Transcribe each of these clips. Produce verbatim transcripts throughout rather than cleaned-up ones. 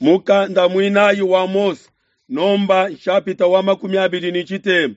Mukanda muinayi wa Mose, nomba nshapita wa makumi abidi ne tshitema.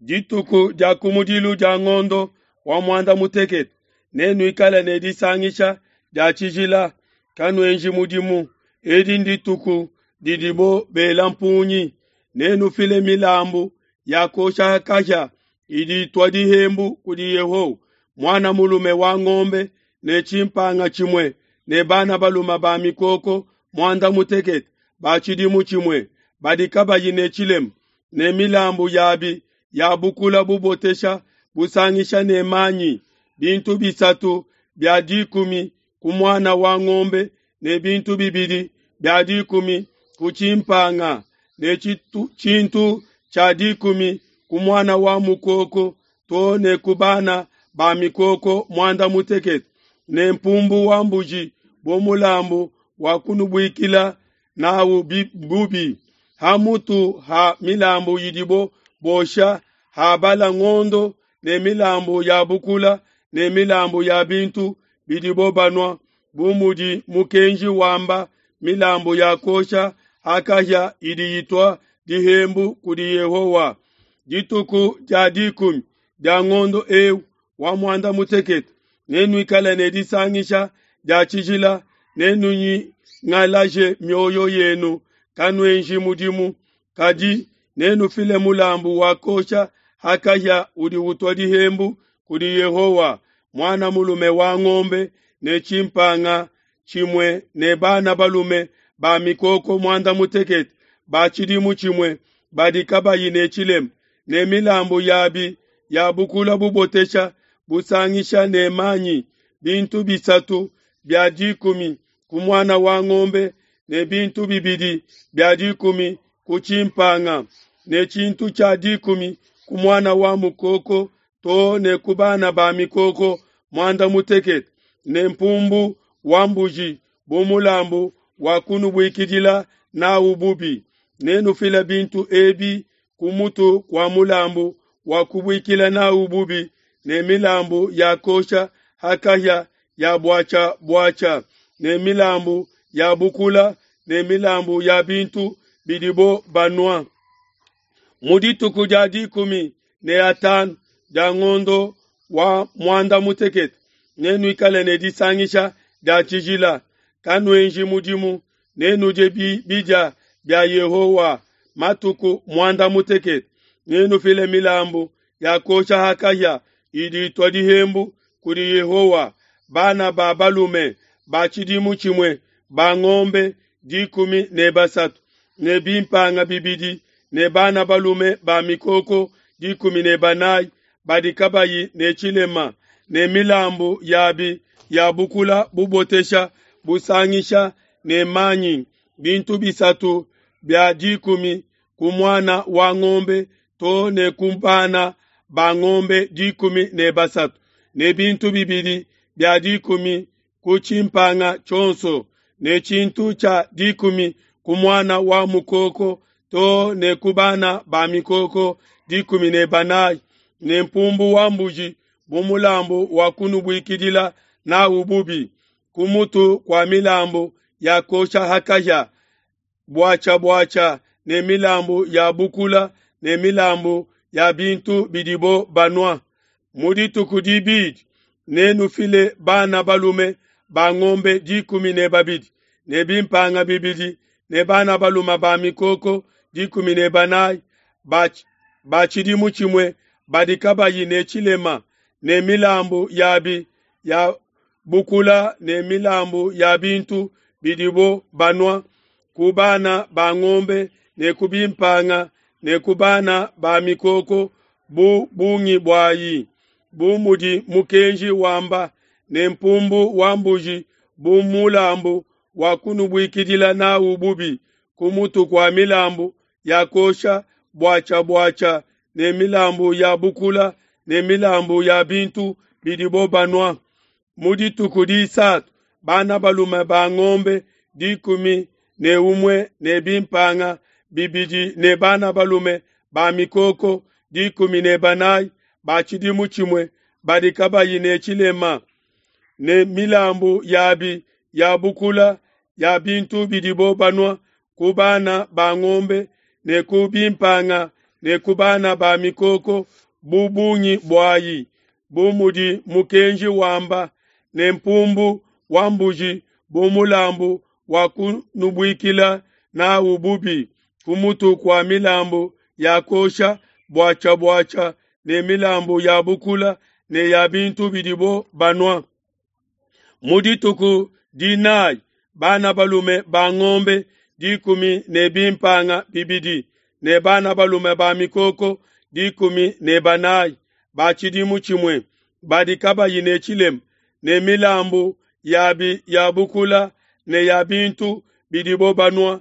Dituku dia kumudilu dia ngondo wa muanda mutekete nenuikale ne disangisha dia tshijila, kanuenji mudimu. Edi ndituku didibo bela mpungi. Nenufile milambu ya kuosha kahia idi itua dihembu kudi Yehowa, muana mulume wa ngombe ne tshimpanga tshimue ne bana balume ba mikoko muanda mutekete ba tshidimu tshimue badi kabayi ne tshilema, ne milambu yabi ya bukula bubotesha busangisha ne manyi, bintu bisatu bia dikumi ku muana wa ngombe ne bintu bibidi bia dikumi ku tshimpanga ne tshintu tshia dikumi ku muana wa mukoko too ne ku bana ba mikoko muanda mutekete ne mpumbu wa mbuji bu mulambu wa kunubuikila nawu bubi. Ha mutu ha milambu idibo bosha ha bala ngondo ne milambu ya bukula ne milambu ya bintu bidibo banua bu mudi mukenji wamba, milambu ya kuosha ha kahia idi itua dihembu kudi Yehowa. Dituku dia dikumi dia ngondo ewu wa muanda mutekete nenuikale ne disangisha dia tshijila, nenunyingalaje mioyo yenu, kanuenji mudimu, kadi nenufile mulambu wa kuosha ha kahia udi utua dihembu kudi Yehowa, muana mulume wa ngombe ne tshimpanga tshimue ne bana balume ba mikoko muanda mutekete ba tshidimu tshimue badi kabayi ne tshilema, ne milambu yabi ya bukula bubotesha busangisha ne manyi, bintu bisatu bia dikumi ku muana wa ngombe ne bintu bibidi bia dikumi ku tshimpanga ne tshintu tshia dikumi ku muana wa mukoko too ne ku bana ba mikoko muanda mutekete ne mpumbu wa mbuji bu mulambu wa kunubuikidila nawu bubi. Nenufile bintu ebi ku mutu kua mulambu wa kubuikila nawu bubi ne milambu ya kuosha ha kahia ya buatshia-buatshia ne milambu ya bukula ne milambu ya bintu bidibo banua. Mu dituku dia dikumi ne atanu dia ngondo wa muanda mutekete nenuikale ne disangisha dia tshijila, kanuenji mudimu, nenudie bidia bia Yehowa matuku muanda mutekete. Nenufile milambu ya kuosha ha kahia idi itua dihembu kudi Yehowa, bana ba balume ba tshidimu tshimue ba ngombe dikumi ne basatu ne bimpanga bibidi ne bana balume ba mikoko dikumi ne banayi badi kabayi ne tshilema, ne milambu yabi ya bukula bubotesha busangisha ne manyi, bintu bisatu bia dikumi ku muana wa ngombe too ne ku bana ba ngombe dikumi ne basatu ne bintu bibidi bia dikumi ku tshimpanga tshionso ne tshintu tshia dikumi ku muana wa mukoko too ne ku bana ba mikoko dikumi ne banayi ne mpumbu wa mbuji bu mulambu wa kunubuikidila nawu bubi, ku mutu kua milambu ya kuosha ha kahia buatshia-buatshia ne milambu ya bukula ne milambu ya bintu bidibo banua. Mu dituku dibidi nenufile bana balume ba ngombe dikumi ne babidi ne bimpanga bibidi ne bana balume ba mikoko dikumi ne banayi ba tshidimu tshimue badi kabayi ne tshilema, ne milambu yabi ya bukula ne milambu ya bintu bidibo banua ku bana ba ngombe ne ku bimpanga ne ku bana ba mikoko bu bungi buayi, bu mudi mukenji wamba, ne mpumbu wa mbuji bu mulambu wa kunubuikidila nawu bubi, ku mutu kua milambu ya kuosha buatshia-buatshia ne milambu ya bukula ne milambu ya bintu bidibo banua. Mu dituku disatu bana balume ba ngombe dikumi ne umue ne bimpanga bibidi ne bana balume ba mikoko dikumi ne banayi ba tshidimu tshimue badi kabayi ne tshilema, ne milambu yabi ya bukula ya bintu bidibo banua ku bana ba ngombe ne ku bimpanga ne ku bana ba mikoko bu bungi buayi, bu mudi mukenji wamba, ne mpumbu wa mbuji bu mulambu wa kunubuikila nawu bubi, ku mutu kua milambu ya kuosha buatshia-buatshia ne milambu ya bukula ne ya bintu bidibo banua. Mu dituku dinayi bana balume ba ngombe dikumi ne bimpanga bibidi ne bana balume ba mikoko dikumi ne banayi ba tshidimu tshimue badi kabayi ne tshilema, ne milambu yabi ya bukula ne ya bintu bidibo banua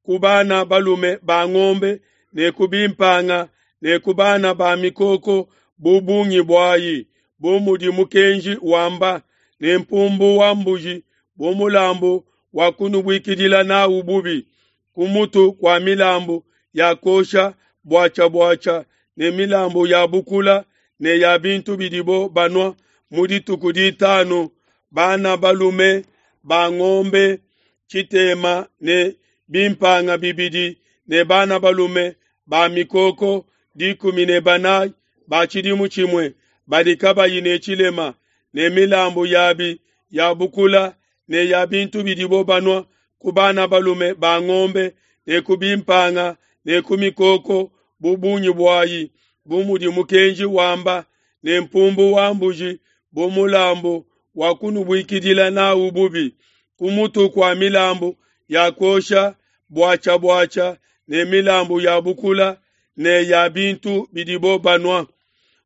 ku bana balume ba ngombe ne ku bimpanga ne ku bana ba mikoko bu bungi buayi, bu mudi mukenji wamba, ne mpumbu wa mbuji bu mulambu wa kunubuikidila nawu bubi, ku mutu kua milambu ya kuosha buatshia-buatshia ne milambu ya bukula ne ya bintu bidibo banua. Mu dituku ditanu bana balume ba ngombe tshitema ne bimpanga bibidi ne bana balume ba mikoko dikumi ne banayi ba tshidimu tshimue badi kabayi ne tshilema, ne milambu yabi ya bukula ne ya bintu bidibo banua ku bana balume ba ngombe ne ku bimpanga ne ku mikoko bu bungi buayi, bu mudi mukenji wamba, ne mpumbu wa mbuji bu mulambu wa kunubuikidila nawu bubi, ku mutu kua milambu ya kuosha buatshia-buatshia ne milambu ya bukula ne ya bintu bidibo banua.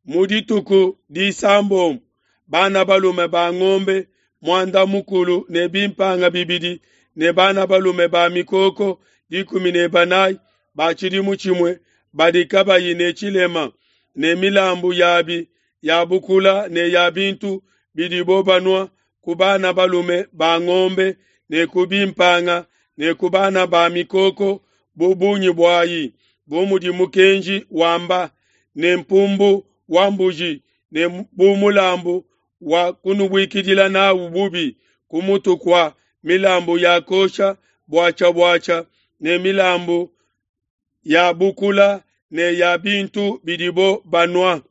Mu dituku disambombo bana balume ba ngombe muanda mukulu ne bimpanga bibidi ne bana balume ba mikoko dikumi ne banayi ba tshidimu tshimue badi kabayi ne tshilema, ne milambu yabi ya bukula ne ya bintu bidibo banua ku bana balume ba ngombe ne ku bimpanga ne ku bana ba mikoko bu bungi buayi, bu mudi mukenji wamba, ne mpumbu wa mbuji ne bu mulambu wa kunubuikidila nawu bubi, ku mutu kua milambu ya kuosha buatshia-buatshia ne milambu ya bukula ne ya bintu bidibo banua.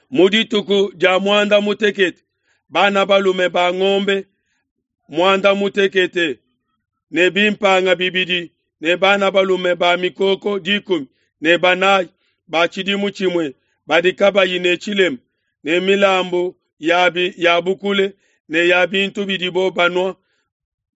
Mu dituku dia muanda mutekete bana balume ba ngombe muanda mutekete ne bimpanga bibidi ne bana balume ba mikoko dikumi ne banayi ba tshidimu tshimue badi kabayi ne tshilema, ne milambu yabi ya bukula ne ya bintu bidibo banua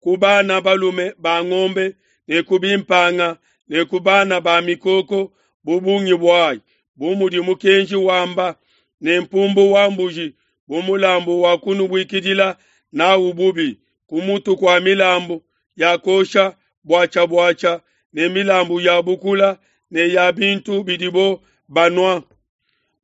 ku bana balume ba ngombe ne ku bimpanga ne ku bana ba mikoko bu bungi buayi, bu mudi mukenji wamba, ne mpumbu wa mbuji bu mulambu wa kunubuikidila nawu bubi, ku mutu kua milambu ya kuosha buatshia-buatshia ne milambu ya bukula ne ya bintu bidibo banua.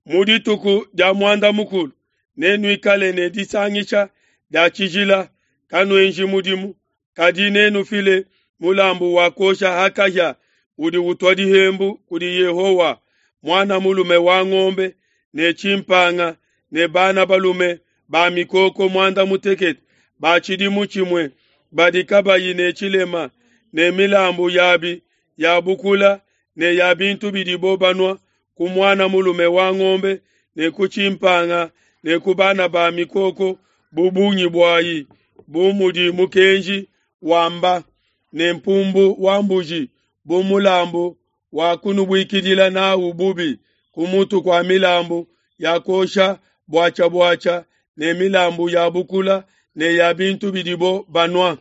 Mu dituku dia muanda mukulu nenuikale ne disangisha dia tshijila, kanuenji mudimu, kadi nenufile mulambu wa kuosha ha kahia udi utua dihembu kudi Yehowa, muana mulume wa ngombe ne tshimpanga ne bana balume ba mikoko muanda mutekete ba tshidimu tshimue badi kabayi ne tshilema, ne milambu yabi ya bukula ne ya bintu bidibo banua ku muana mulume wa ngombe ne ku tshimpanga ne ku bana ba mikoko bu bungi buayi, bu mudi mukenji wamba, ne mpumbu wa mbuji bu mulambu wa kunubuikidila nawu bubi, ku mutu kua milambu ya kuosha buatshia-buatshia ne milambu ya bukula ne ya bintu bidibo banua.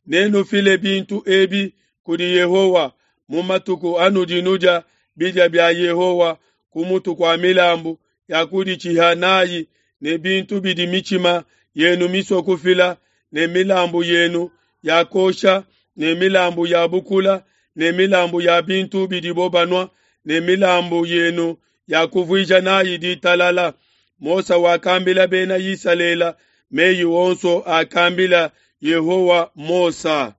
Nenufile bintu ebi kudi Yehowa mu matuku anudi nudia bidia bia Yehowa ku mutu kua milambu ya kuditshiha nayi ne bintu bidi mitshima yenu misue kufila, ne milambu yenu ya kuosha ne milambu ya bukula ne milambu ya bintu bidibo banua ne milambu yenu ya kuvuija nayi ditalala. Mose wakambila Bena Isalele meyi onso akambila Yehowa Mose.